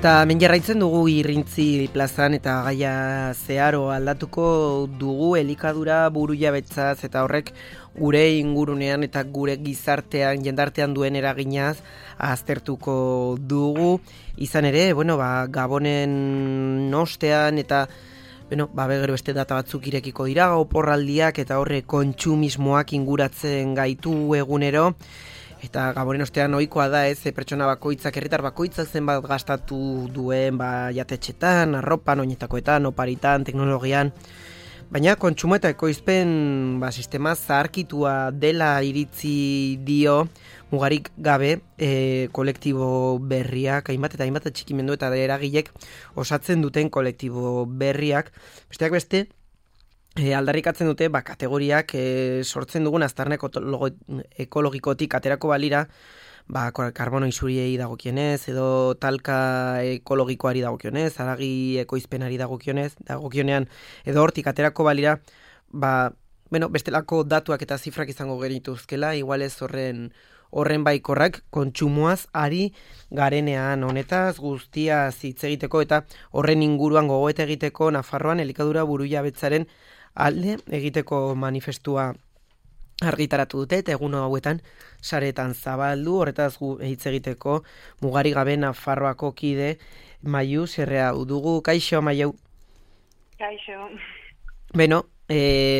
Eta hemen jarraitzen dugu Irrintzi plazan eta gaia zeharo aldatuko dugu elikadura burujabetzaz eta horrek gure ingurunean eta gure gizartean, jendartean duen eraginaz aztertuko dugu. Izan ere, Gabonen ostean eta gero beste data batzuk irekiko dira, oporraldiak eta horre kontsumismoak inguratzen gaitu egunero. Eta Gabonen ostean ohikoa da, pertsona bakoitzak, herritar bakoitzak zenbat gastatu duen jatetxetan, arropan, oinetakoetan, oparitan, teknologian. Baina kontsumo eta ekoizpen sistema zaharkitua dela iritzi dio mugarik gabe kolektibo berriak, hainbat atxikimendu eta eragilek osatzen duten kolektibo berriak. Besteak beste, aldarrikatzen dute kategoriak sortzen dugun aztarna ekologikotik aterako balira karbono isuriei dagokienez edo talka ekologikoari dagokionez, haragi ekoizpenari dagokionean edo hortik aterako balira bestelako datuak eta zifrak izango genituzkela, igual ez horren baikorrak kontsumoaz ari garenean honetaz guztiaz hitz egiteko eta horren inguruan gogoeta egiteko Nafarroan elikadura burujabetzaren alde egiteko manifestua argitaratu dute eta egun hauetan saretan zabaldu, horretaz hitz egiteko mugarik gabe Nafarroako kide Maiu Serrea dugu. Kaixo, Maiu? Kaixo.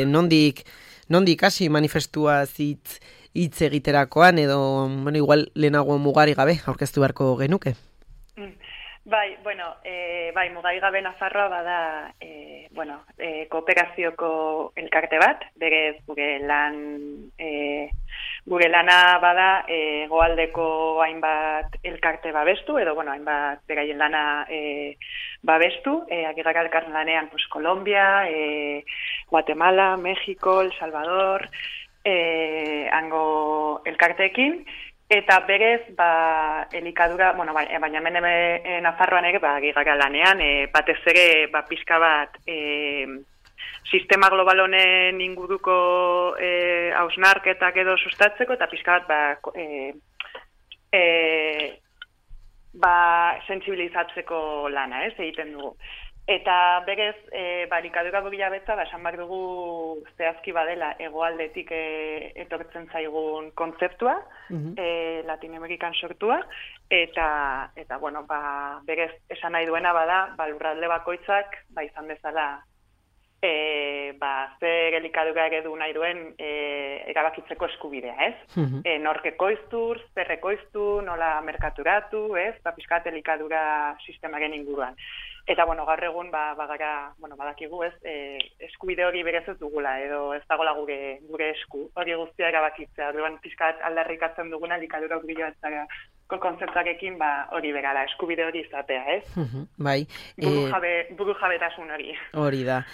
Nondik hasi manifestua hitz egiterakoan edo igual lehenago mugarik gabe aurkeztu beharko genuke? Bai, mugarik gabe Nafarroa bada kooperazioko elkarte bat, berez gure lana bada hegoaldeko hainbat elkarte babestu, edo hainbat beraien lana babestu, agirrak elkarren lanean Colombia, Guatemala, México, El Salvador, hango elkarteekin, eta berez, elikadura, baina hemen Nafarroan ere, agirrak lanean, batez ere, pixka bat, sistema global honen inguruko hausnarketak edo sustatzeko, eta pixka bat sentsibilizatzeko lana, egiten dugu. Eta berez, elikadura burujabetza, esan behar dugu zehazki badela hegoaldetik etortzen zaigun kontzeptua, Latinoamerikan sortua, eta berez, esan nahi duena bada, lurralde bakoitzak, izan bezala, zer elikadura eredu nahi duen erabakitzeko eskubidea, ez? Nork ekoiztu, zer ekoiztu, nola merkaturatu, ez? Pixkat elikadura sistemaren inguruan. Eta, gaur egun, badakigu, ez? Eskubide hori berez ez dugula, edo ez dagoela gure esku, hori guztia erabakitzea. Orduan, pixkat aldarrikatzen duguna elikadura burujabetzara kontzeptuarekin hori berala, eskubide hori izatea, ez? Bai. Burujabetasun hori. Hori da.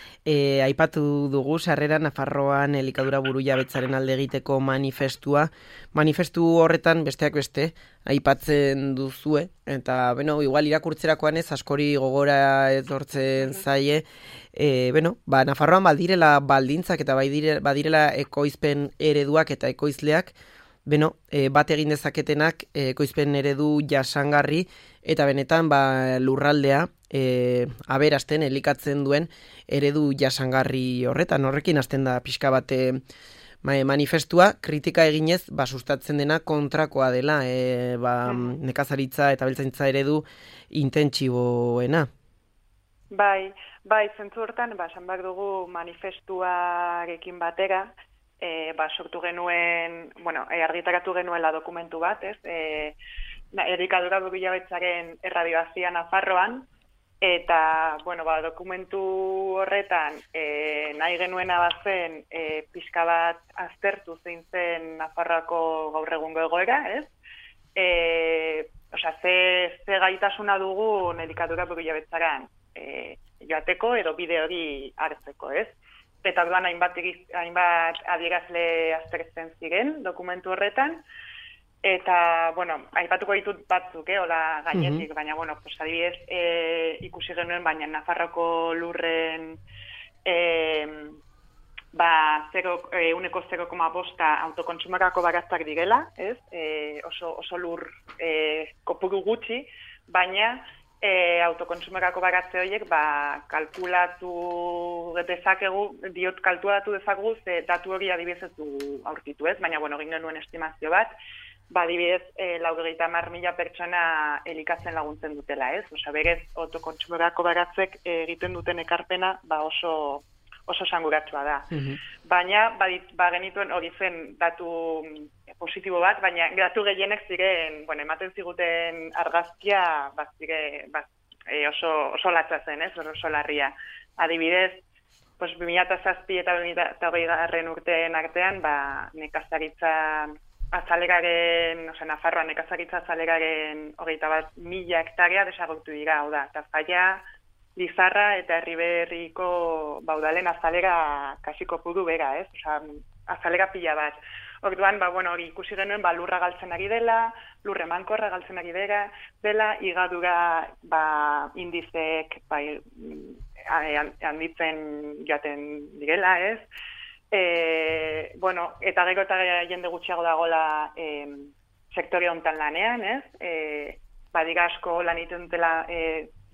Aipatu dugu, sarrera Nafarroan elikadura burujabetzaren alde egiteko manifestua. Manifestu horretan, besteak beste, aipatzen duzue, eta, igual irakurtzerakoan ez, askori gogora etortzen zaie, Nafarroan badirela baldintzak eta badirela ekoizpen ereduak eta ekoizleak, bat egin dezaketenak ekoizpen eredu jasangarri eta benetan lurraldea aberasten elikatzen duen eredu jasangarri horrekin hasten da pixka bate manifestua, kritika eginez sustatzen dena kontrakoa dela nekazaritza eta abeltzaintza eredu intentsiboena. Bai, zentzu hortan, esan behar dugu manifestuarekin batera, sortu genuen, argitaratu genuela dokumentu bat, ez? Elikadura burujabetzaren erradiazioa Nafarroan, eta, dokumentu horretan nahi genuena bazen pixka bat aztertu zein zen Nafarroako gaur egungo egoera, ez? Ze gaitasuna dugu elikadura burujabetzaran joateko edo bide hori hartzeko, ez? Eta orduan hainbat adierazle aztertzen ziren dokumentu horretan, eta, aipatuko ditut batzuk, hola gainetik, baina, adibidez, ikusi genuen, baina Nafarroko lurren 0,5 autokontsumarako baraztak direla, ez? Oso lur kopuru gutxi, baina autokontsumorako baratze horiek kalkulatu dezakegu, ze datu hori adibidez ez du aurkitu ez, baina egin genuen estimazio bat, adibidez 90.000 pertsona elikatzen laguntzen dutela ez, berez autokontsumorako baratzek egiten duten ekarpena oso sanguratsua da. Baina, genituen hori zen datu positibo bat, baina datu gehienek ziren, ematen ziguten argazkia, oso latza zen, oso larria. Adibidez, 2007 eta 2008 urteen artean, nekazaritza azaleraren, Nafarroan nekazaritza azaleraren 21.000 hektarea desagertu dira, hau da, Tafalla, Lizarra eta Erriberriko udalen azalera kasiko pudu bera, ez? Azalera pila bat. Orduan, hori ikusi genuen, lurra galtzen ari dela, lurre mankorra galtzen ari dela, igadura indizek handitzen joaten direla, ez? Eta gero eta jende gutxiago dagoela sektore honetan lanean, ez? Badira asko lan egiten dutela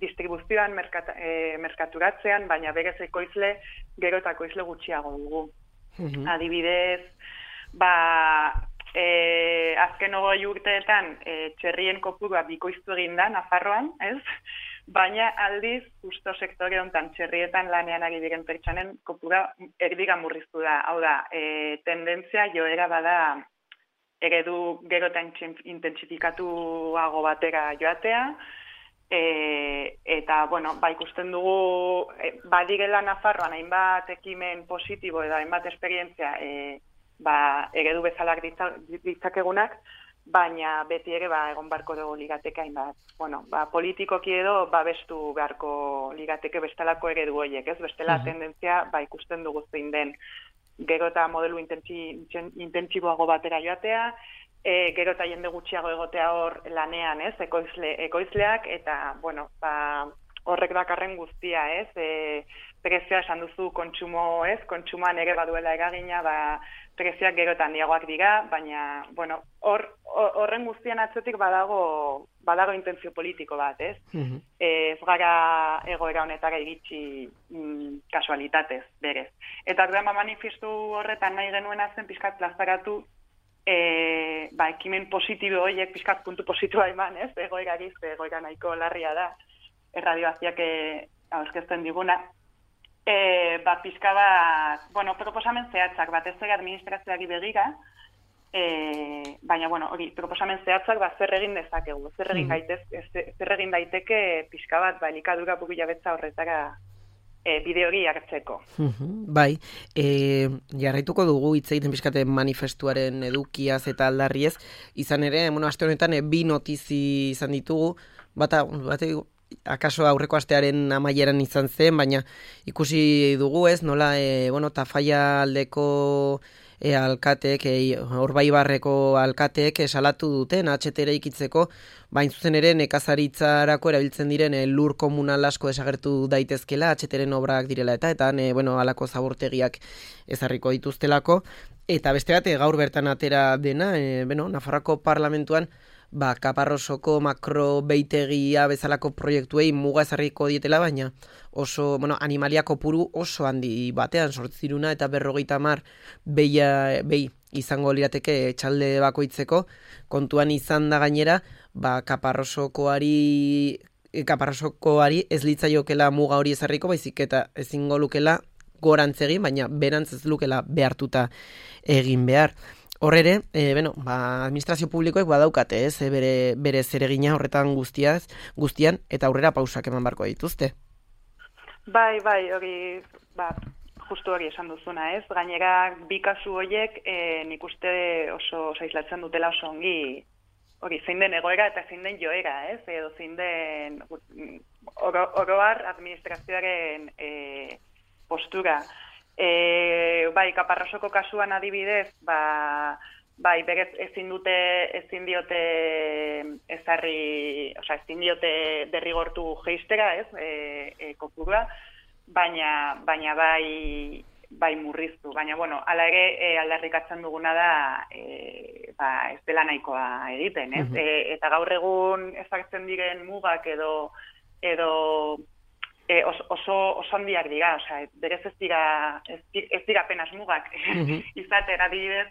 distribuzioan, merkaturatzean, baina berez ekoizle, gero eta ekoizle gutxiago dugu. Adibidez, azken 20 urteetan txerrien kopurua bikoiztu egin da Nafarroan, ez? Baina aldiz, justo sektore honetan txerrietan lanean ari diren pertsonen kopurua erdiga murriztu da. Hau da, tendentzia joera bada eredu gero eta intentsifikatuago batera joatea, eta, ikusten dugu, badirela Nafarroan hainbat ekimen positibo edo hainbat esperientzia eredu bezalak ditzakegunak, baina beti ere egon barko dugu ligateke hainbat. Politikoki edo babestu beharko ligateke bestelako eredu horiek, ez? Bestela tendentzia ikusten dugu zein den. Gero eta modelu intentsiboago batera joatea, gero eta jende gutxiago egotea hor lanean, ez, ekoizleak, eta, horrek dakarren guztia, ez, prezioa esan duzu kontsumo, ez, kontsumoan ere baduela eragina, prezioak gero eta handiagoak dira, baina, horren guztian atzetik badago intentzio politiko bat, ez, ez gara egoera honetara iritsi kasualitatez, berez. Eta manifestu horretan nahi genuena zen pixkat plazaratu ekimen positibo horiek pixkat puntu positiboa eman, ez? Egoera nahiko larria da, erradioaziak aurkezten diguna. Pixka bat, proposamen zehatzak, batez ere administrazioari begira, baina, hori, proposamen zehatzak zer egin dezakegu, zer egin daiteke pixka bat, elikadura burujabetza horretara bide hori hartzeko. Bai, jarraituko dugu hitz egiten pixkate manifestuaren edukiaz eta aldarriez, izan ere, aste honetan bi notizi izan ditugu, bate akaso aurreko astearen amaieran izan zen, baina ikusi dugu ez, nola, Tafalla aldeko alkateek, Orbaibarreko alkateek salatu duten HTR ikitzeko, bain zuzen ere nekazaritzarako erabiltzen diren lur komunal asko desagertu daitezkela, HTRen obrak direla eta halako zabortegiak ezarriko dituztelako, eta beste bat gaur bertan atera dena, Nafarroako parlamentuan Kaparrosoko makrobeitegia bezalako proiektuei muga ezarriko dietela, baina oso, animalia kopuru oso handi batean sortziruna eta 50 behi izango lirateke txalde bakoitzeko, kontuan izan da gainera, Kaparrosokoari ez litzaiokela muga hori ezarriko, baizik eta ezingo lukela gorantz egin, baina berantz ez lukela behartuta egin behar. Hor ere, administrazio publikoek badaukate, ez, bere zeregina horretan guztian, eta aurrera pausak eman barko dituzte. Bai, hori, justu hori esan duzuna, ez? Gainera, bi kasu horiek nik uste oso zaislatzen dutela oso ongi, hori, zein den egoera eta zein den joera, ez? Edo zein den oroar administrazioaren postura. Kaparrosoko kasuan adibidez, berez ezin diote derrigortu jeistera, ez, kopurua, baina bai murriztu. Baina, hala ere aldarrikatzen duguna da, ez dela nahikoa egiten, ez? Eta gaur egun ezartzen diren mugak edo oso handiak dira, osea, berez ez dira apenas mugak izaten adibidez,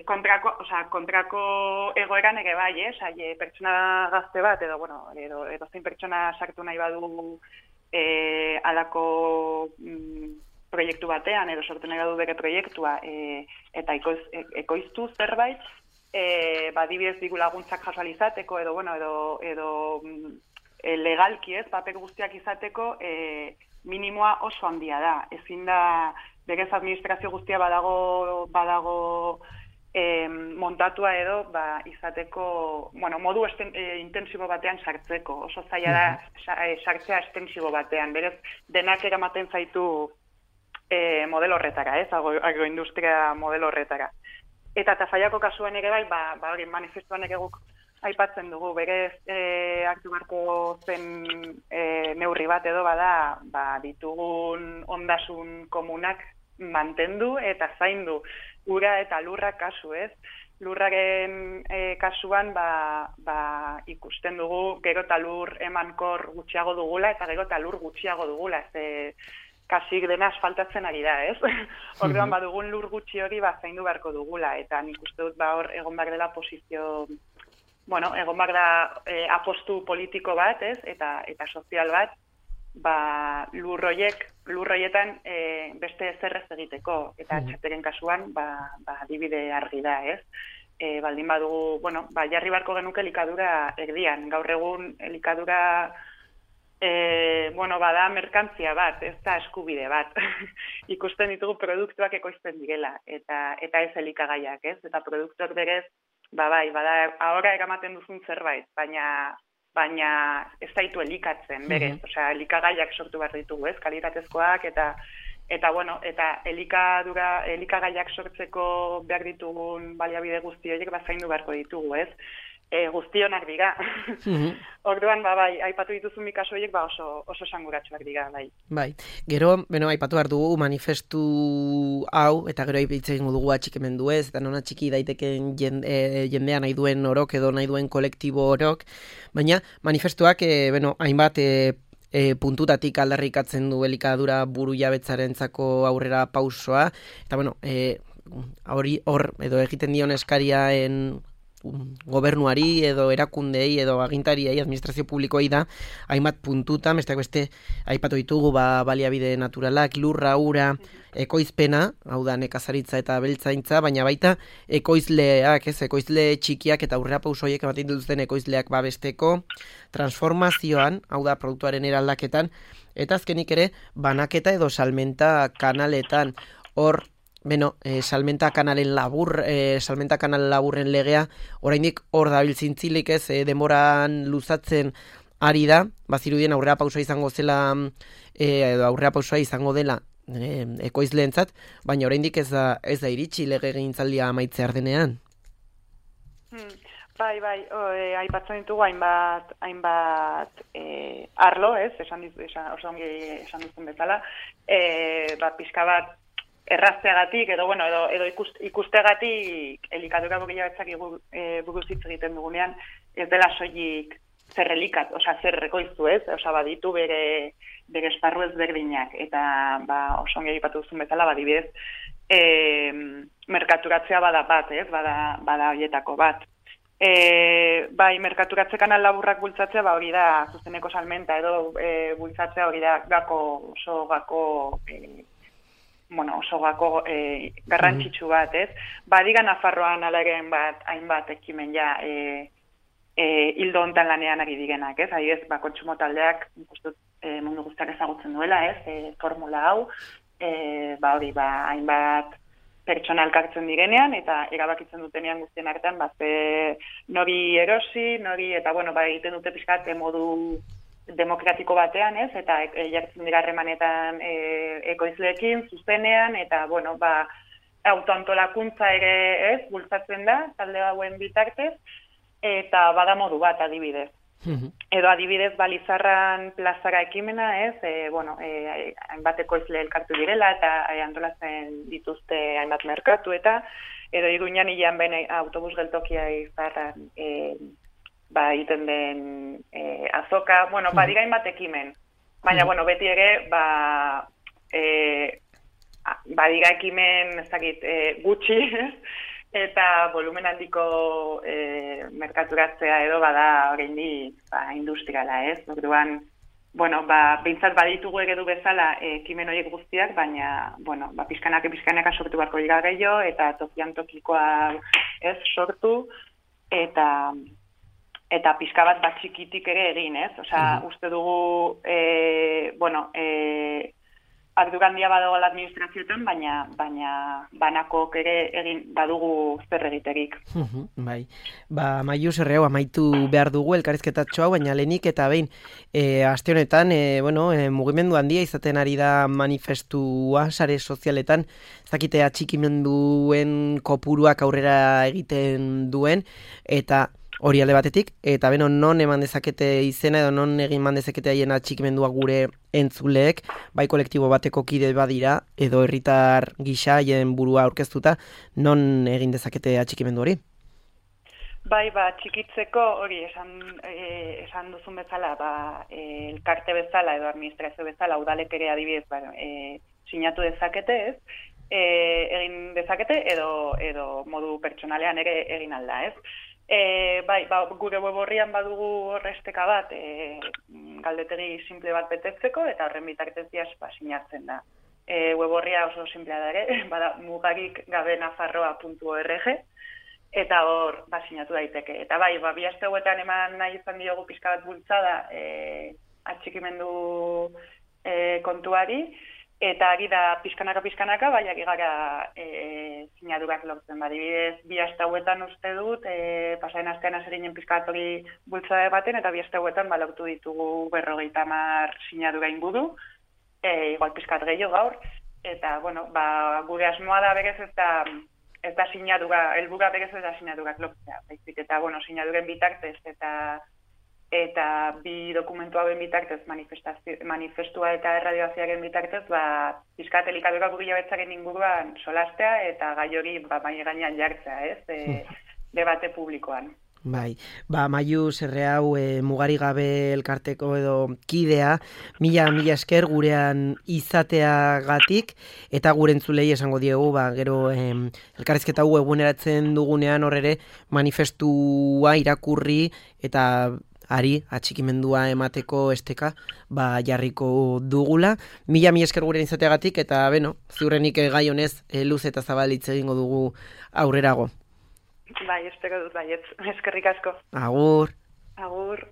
kontrako egoeran ere bai, pertsona gazte bat, edo zein pertsona sartu nahi badu alako proiektu batean, edo sortu nahi badu bere proiektua, eta ekoiztu zerbait, adibidez diru laguntzak jaso izateko, edo legalki paper guztiak izateko, minimoa oso handia da. Ezin da, berez administrazio guztia badago montatua edo izateko, modu intensibo batean sartzeko. Oso zaila da sartzea estensibo batean. Berez, denak eramaten zaitu modelo horretara, agroindustria modelo horretara. Eta Tafallako kasuan ere bai, manifestuan ere guk aipatzen dugu, berez hartu beharko zen neurri bat edo bada, ditugun ondasun komunak mantendu eta zaindu. Ura eta lurrak kasu, ez? Lurraren kasuan ikusten dugu gero eta lur emankor gutxiago dugula eta gero eta lur gutxiago dugula. Kasik dena asfaltatzen ari da, ez? Orduan badugun lur gutxi hori zaindu beharko dugula, eta nik uste dut hor egon behar dela posizio, egon behar da apostu politiko bat, ez? Eta sozial bat, lurroietan beste zerrez egiteko, eta txateren kasuan, adibide argi da, ez? Baldin badugu, jarri beharko genuke elikadura erdian, gaur egun elikadura bada merkantzia bat, ez da eskubide bat. Ikusten ditugu produktuak ekoizten direla, eta ez elikagaiak, ez? Eta produktuak berez, bada ahora eramaten duzun zerbait, baina ez zaitu elikatzen, berez. Osea, elikagaiak sortu behar ditugu, ez? Kalitatezkoak, eta elikagaiak sortzeko behar ditugun baliabide guzti horiek zaindu beharko ditugu, ez? Guztionak dira. Orduan, aipatu dituzun bi kasu horiek oso esanguratsuak dira, bai. Bai, gero, aipatu behar dugu manifestu hau, eta gero hitz egingo dugu atxikimendu ez, eta nona txiki daiteken jendea nahi duen orok edo nahi duen kolektibo orok, baina manifestuak, hainbat puntutatik aldarrikatzen du elikadura burujabetzarentzako aurrera pausoa, eta hor edo egiten dion eskariaen gobernuari edo erakundei edo agintariei, administrazio publikoei da, hainbat puntutan, besteak beste aipatu ditugu baliabide naturalak, lurra, ura, ekoizpena, hau da nekazaritza eta beltzaintza, baina baita ekoizleak, ekoizle txikiak eta aurrera pausoiek ematen dituzten ekoizleak babesteko, transformazioan, hau da produktuaren eraldaketan, eta azkenik ere banaketa edo salmenta kanaletan, hor salmenta kanalen laburren legea, oraindik hor dabiltzintzilik ez, demoran luzatzen ari da, bazirudien aurrera pausoa izango zela, edo aurrera pausoa izango dela ekoizleentzat, baina oraindik ez da iritsi legegintzaldia amaitzear denean. Bai, aipatzen ditugu hainbat arlo, ez, oso ongi esan duzun bezala, pixka bat errazteagatik, edo ikusteagatik elikadura burujabetzak buruz hitz egiten dugunean, ez dela soilik zer elikat, zer rekoiztu, ez? Baditu bere esparru ezberdinak, eta oso ongi aipatu duzun bezala, adibidez, merkaturatzea bada bat, ez? Bada horietako bat. Merkaturatze kanal laburrak bultzatzea, hori da, zuzeneko salmenta, edo bultzatzea hori da oso gako garrantzitsu bat, ez? Badiga Nafarroan alaren hainbat ekimen hildo hontan lanean ari direnak, ez? Adibidez, kontsumo taldeak mundu guztiak ezagutzen duela, ez? Formula hau, hainbat pertsona elkartzen direnean, eta erabakitzen dutenean guztien artean, nori erosi, eta egiten dute pixkat modu demokratiko batean, ez? Eta jartzen dira harremanetan ekoizleekin, zuzenean, eta, autoantolakuntza ere, ez? Bultzatzen da, talde hauen bitartez, eta bada modu bat, adibidez. Edo adibidez, Balizarran plazara ekimena, ez? Hainbat ekoizle elkartu direla, eta antolatzen dituzte hainbat merkatu, eta edo Iruñan hilean autobus geltokia izarran egiten den azoka, bueno, badira hainbat ekimen, baina, bueno, beti ere, badira ekimen, ez dakit, gutxi, eta volumen handiko merkaturatzea edo bada oraindik industriala, ez? Orduan, bueno, behintzat baditugu eredu bezala ekimen horiek guztiak, baina, bueno, pixkanaka sortu beharko dira gehiago, eta tokian tokikoa ez sortu, eta pixka bat txikitik ere egin, ez? Osea, uste dugu, bueno, ardura handia badago administrazioetan, baina banako ere egin badugu zer egiterik. Bai. Maiu Serreau amaitu behar dugu elkarrizketatxo hau, baina lehenik eta behin aste honetan, mugimendu handia izaten ari da manifestua sare sozialetan, ez dakite atxikimenduen kopuruak aurrera egiten duen, eta hori alde batetik, eta beno non eman dezakete izena edo non egin eman dezakete haien atxikimendua gure entzuleek, bai kolektibo bateko kide badira, edo herritar gisa haien burua aurkeztuta, non egin dezakete atxikimendu hori? Bai, txikitzeko hori esan duzun bezala, elkarte bezala edo administrazio bezala, udalek ere adibidez sinatu dezakete, ez? Egin dezakete edo modu pertsonalean ere egin alda, ez? Gure web orrian badugu horresteka bat galdetegi simple bat betetzeko eta horren bitartez sinatzen da. Web orria oso simplea da ere, bada mugarikgabenafarroa.org eta hor sinatu daiteke. Eta bi aste hauetan eman nahi izan diogu pixka bat bultzada atxikimendu kontuari, eta ari da pixkanaka, ari gara sinadurak lortzen. Adibidez, bi aste hauetan uste dut, pasaren astean azerinen pixkatori bultzada baten, eta bi aste hauetan lortu ditugu 50 sinadura inguru, igual pixkat gehiago gaur, eta, bueno, gure asmoa da berez ez da sinadura, helburua berez ez da sinadurak lortzea, baizik, eta, bueno, sinaduren bitartez, eta bi dokumentu hauen bitartez, manifestua eta erradioaziaren bitartez, pixkat elikadura burila betzaren inguruan solastea eta gai hori mai gainean jartzea, ez? Debate publikoan. Bai, Maiu Serreau mugarigabe elkarteko edo kidea, mila esker gurean izateagatik, eta gure entzulei esango diegu, gero elkarrizketa hau eguneratzen dugunean horrere manifestua irakurri eta ari atxikimendua emateko esteka jarriko dugula. Mila esker gurean izateagatik, eta ziurrenik gai honez luz eta zabalitz egingo dugu aurrerago. Bai, espero dut baietz. Eskerrik asko. Agur. Agur.